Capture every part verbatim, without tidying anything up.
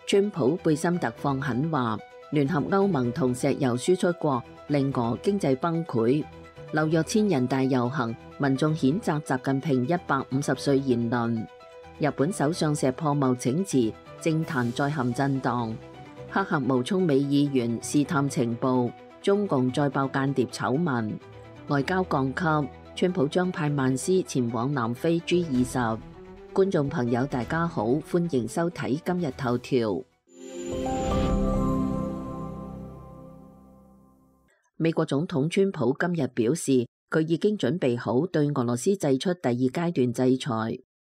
川普貝森特放狠話，聯合歐盟同石油輸出國令俄經濟崩潰。紐約千人大遊行，民眾譴責習近平一百五十歲言論。日本首相石破茂請辭，政壇再陷震盪。黑客冒充美議員試探情報，中共再爆間諜醜聞。外交降級，川普將派曼斯前往南非 G 二十。觀眾朋友大家好，歡迎收睇今日頭條。美國總統川普今日表示，佢已經準備好對俄羅斯祭出第二階段制裁，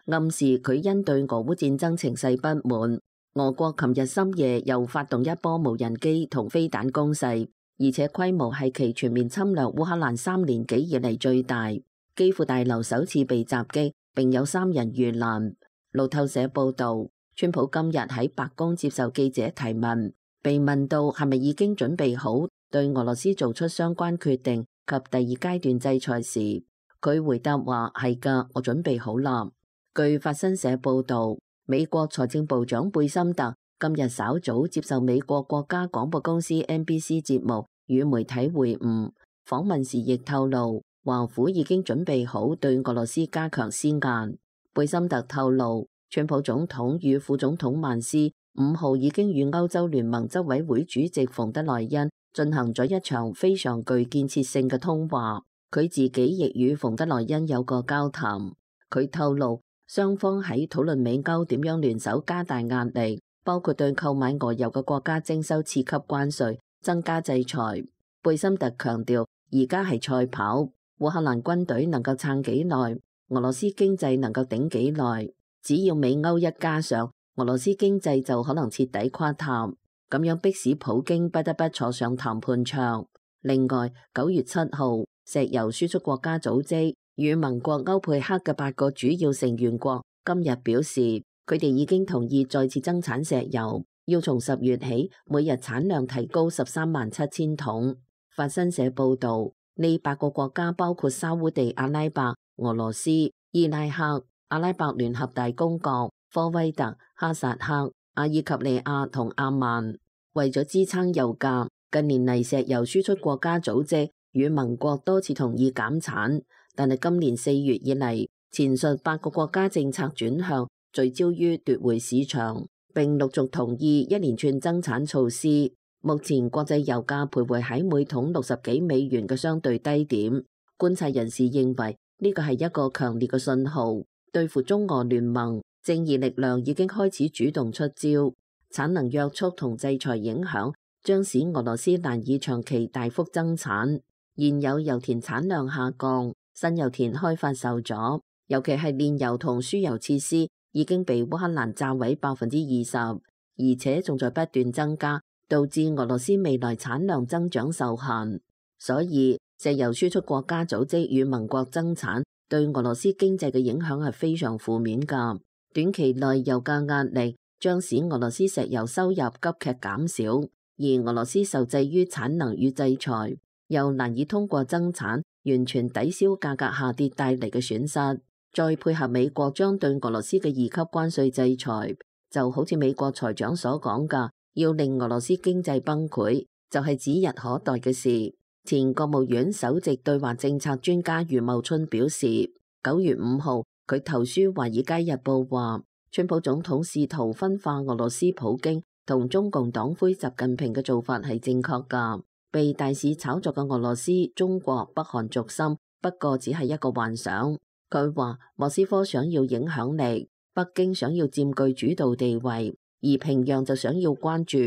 暗示佢因對俄烏戰爭情勢不滿。俄國琴日深夜又發動一波無人機同飛彈攻勢，而且規模係其全面侵略烏克蘭三年幾以嚟最大。基輔大樓首次被襲擊，並有三人遇難。路透社報道，川普今日喺白宮接受記者提問，被問到係咪已經準備好對俄羅斯做出相關決定及第二階段制裁時，佢回答話係㗎，我準備好啦。據法新社報道，美國財政部長貝森特今日稍早接受美國國家廣播公司 N B C 節目與媒體會晤，訪問時亦透露，華府已經準備好對俄羅斯加強施壓。貝森特透露，川普總統與副總統曼斯五號已經與歐洲聯盟執委會主席馮德萊恩進行咗一場非常具建設性嘅通話。佢自己亦與馮德萊恩有個交談。佢透露，雙方喺討論美歐點樣聯手加大壓力，包括對購買俄油嘅國家徵收次級關稅、增加制裁。貝森特強調，而家係賽跑。烏克蘭軍隊能夠撐幾耐，俄羅斯經濟能夠頂幾耐。只要美歐一加上，俄羅斯經濟就可能徹底垮塌，咁樣迫使普京不得不坐上談判桌。另外，九月七號，石油輸出國家組織與盟國歐佩克嘅八個主要成員國今日表示，佢哋已經同意再次增產石油，要從十月起每日產量提高十三萬七千桶。法新社報道，呢八個國家包括沙烏地阿拉伯、俄羅斯、伊拉克、阿拉伯聯合大公國、科威特、哈薩克、阿爾及利亞同阿曼。為咗支撐油價，近年嚟石油輸出國家組織與盟國多次同意減產，但係今年四月以嚟，前述八個國家政策轉向，聚焦於奪回市場，並陸續同意一連串增產措施。目前國際油價徘徊喺每桶六十幾美元嘅相對低點。觀察人士認為呢個係一個強烈嘅信號，對付中俄聯盟，正義力量已經開始主動出招。產能約束同制裁影響將使俄羅斯難以長期大幅增產。現有油田產量下降，新油田開發受阻，尤其係煉油同輸油設施已經被烏克蘭炸毀百分之二十，而且仲在不斷增加，導致俄羅斯未來產量增長受限。所以石油輸出國家組織與盟國增產對俄羅斯經濟嘅影響係非常負面㗎。短期內油價壓力將使俄羅斯石油收入急劇減少，而俄羅斯受制於產能與制裁，又難以通過增產完全抵消價格下跌帶嚟嘅損失。再配合美國將對俄羅斯嘅二級關稅制裁，就好似美國財長所講㗎，要令俄羅斯經濟崩潰，就係指日可待嘅事。前國務院首席對華政策專家余茂春表示，九月五號佢投書《華爾街日報》話，川普總統試圖分化俄羅斯普京同中共黨魁習近平嘅做法係正確㗎。被大肆炒作嘅俄羅斯、中國、北韓軸心，不過只係一個幻想。佢話莫斯科想要影響力，北京想要佔據主導地位，而平壤就想要關注。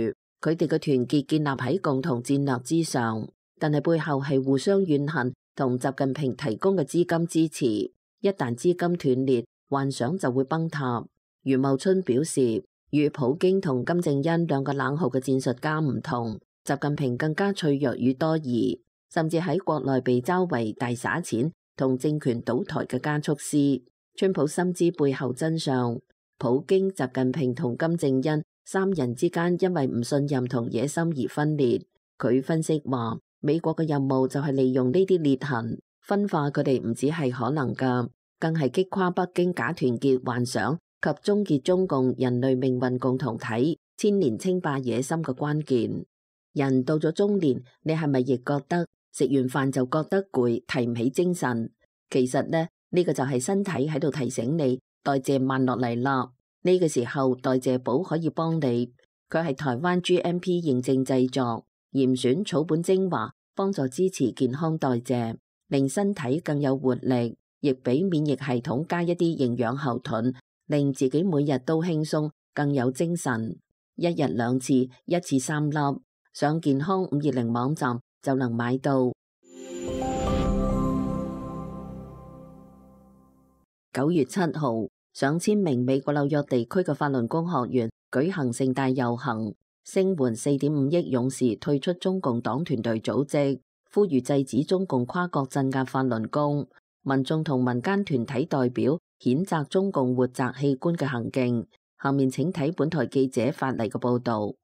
佢哋嘅團結建立喺共同戰略之上，但係背後係互相怨恨同習近平提供嘅資金支持。一旦資金斷裂，幻想就會崩塌。余茂春表示，與普京同金正恩兩個冷酷嘅戰術家唔同，習近平更加脆弱與多疑，甚至喺國內被嘲為大撒錢同政權倒台嘅加速師。川普深知背後真相，普京、習近平同金正恩三人之間因為唔信任同野心而分裂。佢分析話，美國嘅任務就係利用呢啲裂痕，分化佢哋唔止係可能㗎，更係擊垮北京假團結幻想及終結中共人類命運共同體，千年稱霸野心嘅關鍵。人到咗中年，你係咪亦覺得食完飯就覺得攰，提唔起精神？其實呢，呢個就係身體喺度提醒你代謝慢落嚟啦。呢個時候代謝寶可以幫你，佢係台灣 G M P 認證製作，嚴選草本精華，幫助支持健康代謝，令身體更有活力，亦俾免疫系統加一啲營養後盾，令自己每日都輕鬆，更有精神。一日兩次，一次三粒。上健康五二零網站就能買到。九月七號，上千名美國紐約地區嘅法輪功學員舉行盛大遊行，聲援四點五億勇士退出中共黨團隊組織，呼籲制止中共跨國鎮壓法輪功。民眾同民間團體代表譴責中共活摘器官嘅行徑。下面請睇本台記者發嚟嘅報道。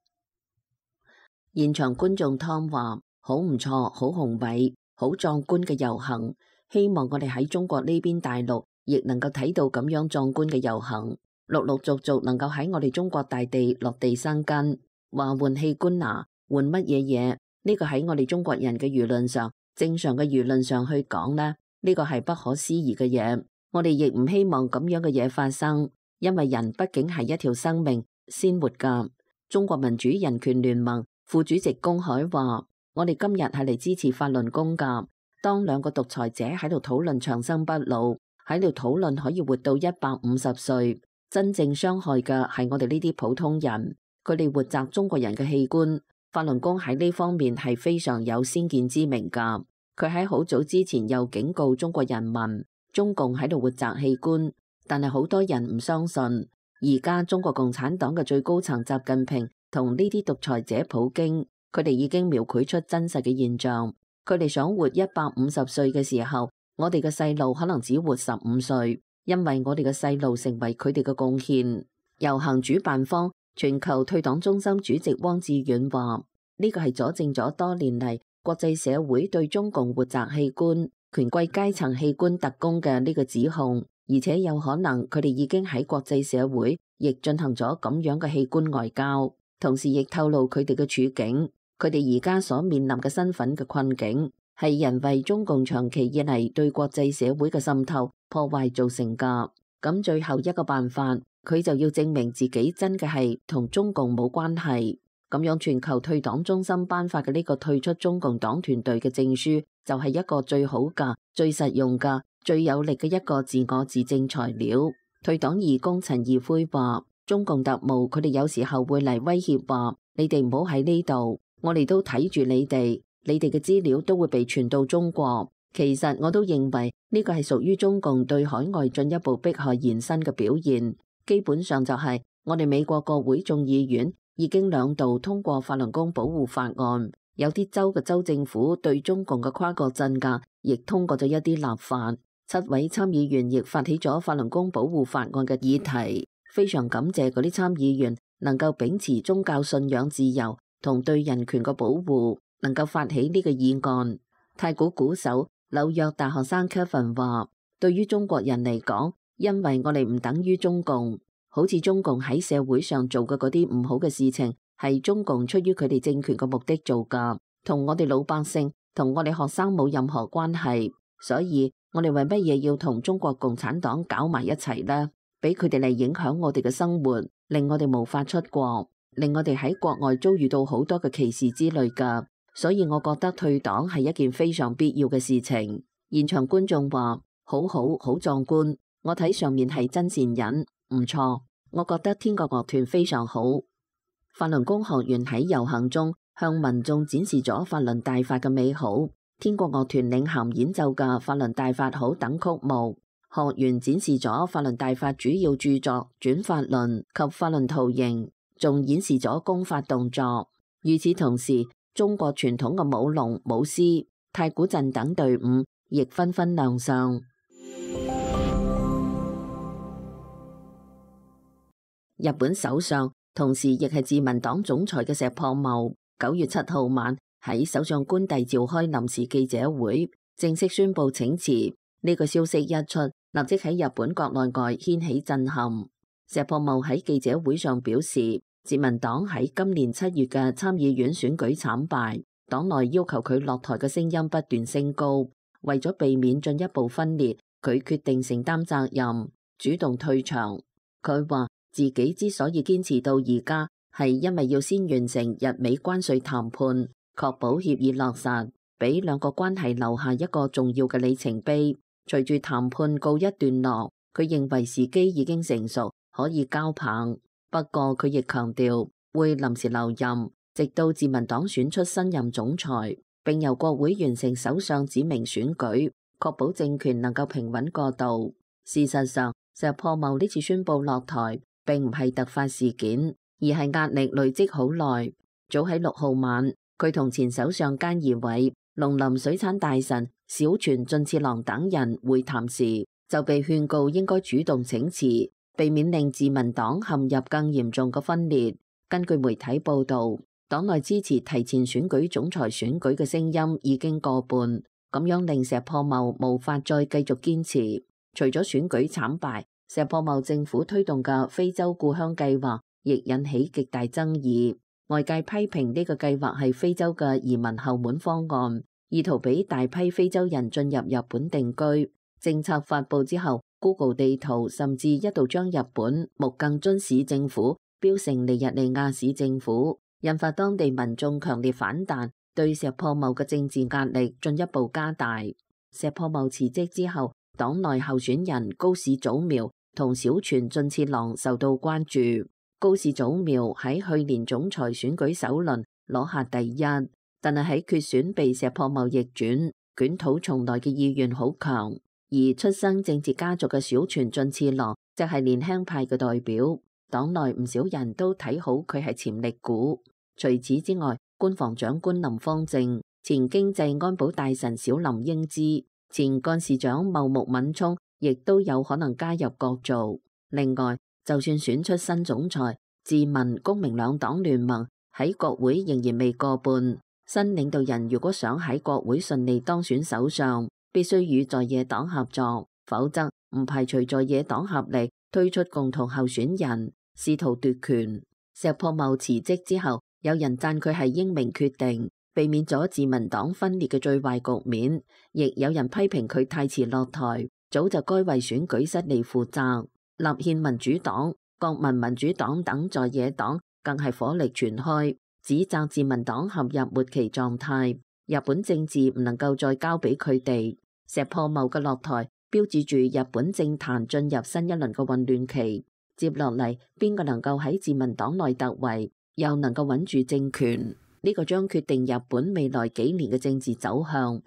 現場觀眾湯話：好唔錯，好宏偉，好壯觀嘅遊行。希望我哋喺中國呢邊大陸亦能夠睇到咁樣壯觀嘅遊行，陸陸續續能夠喺我哋中國大地落地生根。話換器官啊，換乜嘢嘢？呢個喺我哋中國人嘅輿論上，正常嘅輿論上去講呢，呢個係不可思議嘅嘢。我哋亦唔希望咁樣嘅嘢發生，因為人畢竟係一條生命鮮活噶。中國民主人權聯盟副主席龔海話：我哋今日係嚟支持法輪功噶。當兩個獨裁者喺度討論長生不老，喺度討論可以活到一百五十歲，真正傷害嘅係我哋呢啲普通人。佢哋活摘中國人嘅器官，法輪功喺呢方面係非常有先見之明噶。佢喺好早之前又警告中國人民，中共喺度活摘器官，但係好多人唔相信。而家中國共產黨嘅最高層習近平同呢啲獨裁者普京，佢哋已經描繪出真實嘅現象。佢哋想活一百五十歲嘅時候，我哋嘅細路可能只活十五歲，因為我哋嘅細路成為佢哋嘅貢獻。遊行主辦方全球退黨中心主席汪志遠話：呢個係佐證咗多年嚟國際社會對中共活摘器官、權貴階層器官特工嘅呢個指控，而且有可能佢哋已經喺國際社會亦進行咗咁樣嘅器官外交。同時亦透露佢哋嘅處境，佢哋而家所面臨嘅身份嘅困境，係人為中共長期以嚟對國際社會嘅滲透破壞造成噶。咁最後一個辦法，佢就要證明自己真嘅係同中共冇關係。咁樣全球退黨中心頒發嘅呢個退出中共黨團隊嘅證書，就係一個最好噶、最實用噶、最有力嘅一個自我自證材料。退黨義工陳義輝話：中共特務佢哋有時候會嚟威脅話，你哋唔好喺呢度，我哋都睇住你哋，你哋嘅資料都會被傳到中國。其實我都認為呢個係屬於中共對海外進一步迫害延伸嘅表現。基本上就係我哋美國國會眾議院已經兩度通過法輪功保護法案，有啲州嘅州政府對中共嘅跨國鎮壓亦通過咗一啲立法。七位參議員亦發起咗法輪功保護法案嘅議題。非常感謝嗰啲參議員能夠秉持宗教信仰自由同對人權嘅保護，能夠發起呢個議案。太鼓鼓手、紐約大學生 Kevin 話：對於中國人嚟講，因為我哋唔等於中共，好似中共喺社會上做嘅嗰啲唔好嘅事情，係中共出於佢哋政權嘅目的做噶，同我哋老百姓、同我哋學生冇任何關係。所以我哋為乜嘢要同中國共產黨搞埋一齊呢？俾佢哋嚟影響我哋嘅生活，令我哋無法出國，令我哋喺國外遭遇到好多嘅歧視之類噶。所以我覺得退黨係一件非常必要嘅事情。現場觀眾話：好好好壯觀，我睇上面係真善忍，唔錯。我覺得天國樂團非常好。法輪功學員喺遊行中向民眾展示咗法輪大法嘅美好，天國樂團領銜演奏嘅法輪大法好等曲目。學員展示咗法輪大法主要著作轉法輪及法輪圖形，仲演示咗功法動作。與此同時，中國傳統嘅舞龍、舞獅、太鼓陣等隊伍亦紛紛亮相。日本首相同時亦係自民黨總裁嘅石破茂，九月七號晚喺首相官邸召開臨時記者會，正式宣布請辭。呢個消息一出，立即喺日本國內外掀起震撼。石破茂喺記者會上表示，自民黨喺今年七月嘅參議院選舉慘敗，黨內要求佢落台嘅聲音不斷升高。為咗避免進一步分裂，佢決定承擔責任，主動退場。佢話自己之所以堅持到而家，係因為要先完成日美關稅談判，確保協議落實，俾兩個關係留下一個重要嘅里程碑。隨住談判告一段落，佢認為時機已經成熟，可以交棒。不過佢亦強調會臨時留任，直到自民黨選出新任總裁，並由國會完成首相指名選舉，確保政權能夠平穩過渡。事實上，石破茂呢次宣布落台並唔係突發事件，而係壓力累積好耐。早喺六號晚，佢同前首相菅義偉、農林水產大臣小泉進次郎等人會談時，就被勸告應該主動請辭，避免令自民黨陷入更嚴重嘅分裂。根據媒體報導，黨內支持提前選舉總裁選舉嘅聲音已經過半，咁樣令石破茂無法再繼續堅持。除咗選舉慘敗，石破茂政府推動嘅非洲故鄉計劃亦引起極大爭議。外界批評呢個計劃係非洲嘅移民後門方案，意圖俾大批非洲人進入日本定居。政策發布之後， Google 地圖甚至一度將日本木更津市政府標成尼日利亞市政府，引發當地民眾強烈反彈，對石破茂嘅政治壓力進一步加大。石破茂辭職之後，黨內候選人高市早苗同小泉進次郎受到關注。高市早苗喺去年總裁選舉首輪攞下第一，但係喺決選被石破茂逆轉，捲土重來嘅意願好強。而出身政治家族嘅小泉進次郎就係年輕派嘅代表，黨內唔少人都睇好佢係潛力股。除此之外，官房長官林芳正、前經濟安保大臣小林英姿、前幹事長茂木敏充亦都有可能加入角逐。另外，就算選出新總裁，自民公明兩黨聯盟喺國會仍然未過半。新領導人如果想喺國會順利當選首相，必須與在野黨合作，否則唔排除在野黨合力推出共同候選人，試圖奪權。石破茂辭職之後，有人讚佢係英明決定，避免咗自民黨分裂嘅最壞局面，亦有人批評佢太遲落台，早就該為選舉失利負責。立憲民主黨、國民民主黨等在野黨更係火力全開，指責自民黨陷入末期狀態，日本政治唔能夠再交俾佢哋。石破茂嘅落台標誌住日本政壇進入新一輪嘅混亂期，接落嚟邊個能夠喺自民黨內突圍，又能夠穩住政權，呢個將決定日本未來幾年嘅政治走向。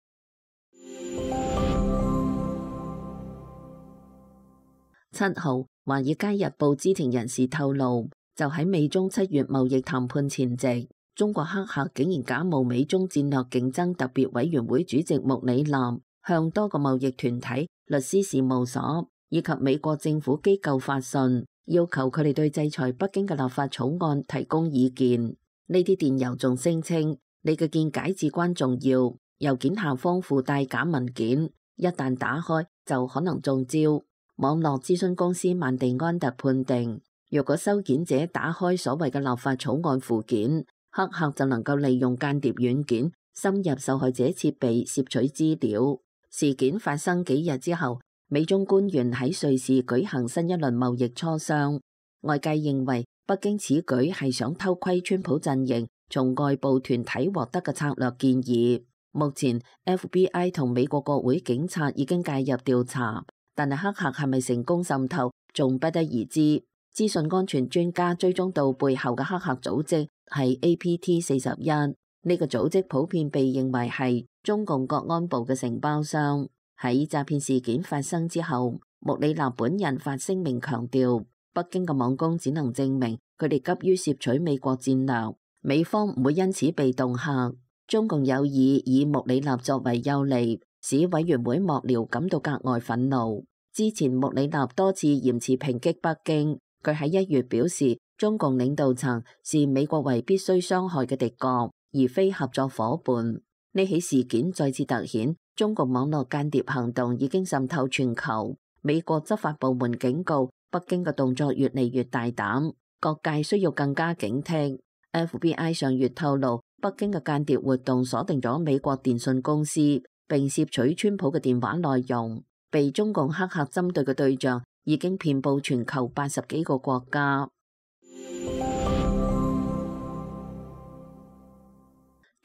七號，《華爾街日報》知情人士透露，就喺美中七月貿易談判前夕，中國黑客竟然假冒美中戰略競爭特別委員會主席穆里納，向多個貿易團體、律師事務所以及美國政府機構發信，要求佢哋對制裁北京嘅立法草案提供意見。呢啲電郵仲聲稱，你嘅見解至關重要，郵件下方附帶假文件，一旦打開就可能中招。網絡諮詢公司曼地安特判定，若果收件者打開所謂嘅立法草案附件，黑客就能夠利用間諜軟件深入受害者設備攝取資料。事件發生幾日之後，美中官員喺瑞士舉行新一輪貿易磋商。外界認為北京此舉係想偷窺川普陣營從外部團體獲得嘅策略建議。目前 F B I 同美國國會警察已經介入調查。但係黑客係咪成功滲透，仲不得而知。資訊安全專家追蹤到背後嘅黑客組織係 A P T 四十一，呢個組織普遍被認為係中共國安部嘅承包商。喺詐騙事件發生之後，穆里納本人發聲明強調，北京嘅網攻只能證明佢哋急於攝取美國戰略，美方唔會因此被恫嚇。中共有意以穆里納作為誘餌，使委員會幕僚感到格外憤怒。之前穆里納多次嚴詞抨擊北京，佢喺一月表示，中共領導層視美國為必須傷害嘅敵國，而非合作夥伴。呢起事件再次凸顯中國網絡間諜行動已經滲透全球。美國執法部門警告，北京嘅動作越嚟越大膽。各界需要更加警惕。F B I 上月透露，北京嘅間諜活動鎖定咗美國電信公司，並攝取川普嘅電話內容。被中共黑客針對嘅對象已經遍佈全球八十幾個國家。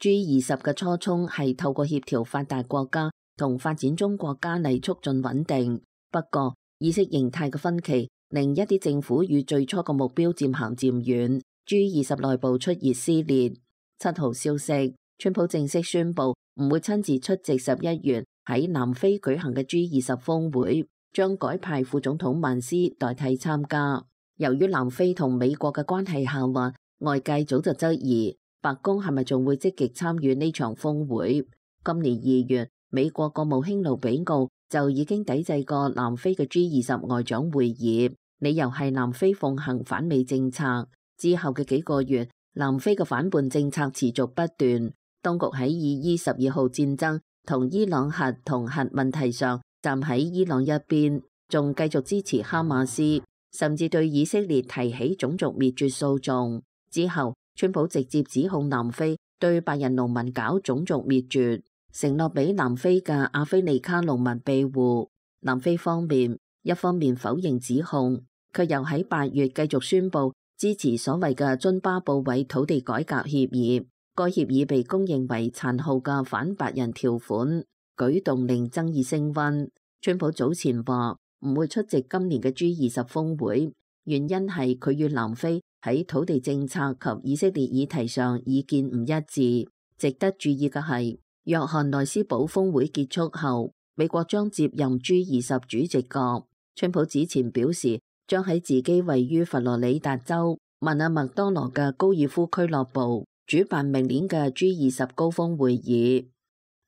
G 二十嘅初衷係透過協調發達國家同發展中國家嚟促進穩定，不過意識形態嘅分歧令一啲政府與最初嘅目標漸行漸遠。G 二十內部出現撕裂。七號消息，川普正式宣布唔會親自出席十一月喺南非舉行嘅 G 二十峰會，將改派副總統曼斯代替參加。由於南非同美國嘅關係下滑，外界早就質疑白宮係咪仲會積極參與呢場峰會。今年二月，美國國務卿盧比奧就已經抵制過南非嘅 G 二十外長會議，理由係南非奉行反美政策。之後嘅幾個月，南非嘅反叛政策持續不斷，當局喺以伊十二號戰爭同伊朗核同核問題上站喺伊朗一邊，仲繼續支持哈馬斯，甚至對以色列提起種族滅絕訴訟。之後，川普直接指控南非對白人農民搞種族滅絕，承諾俾南非嘅阿非利卡農民庇護。南非方面一方面否認指控，卻又喺八月繼續宣布支持所謂嘅津巴布韋土地改革協議。該協議被公認為殘酷嘅反白人條款，舉動令爭議升溫。川普早前話唔會出席今年嘅 G 二十峰會，原因係佢與南非喺土地政策及以色列議題上意見唔一致。值得注意嘅係，約翰內斯堡峰會結束後，美國將接任 G 二十主席國。川普此前表示，將喺自己位於佛羅里達州曼阿麥多羅嘅高爾夫俱樂部主辦明年嘅 G 二十高峰會議。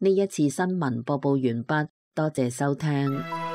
呢一次新聞播報完畢，多謝收聽。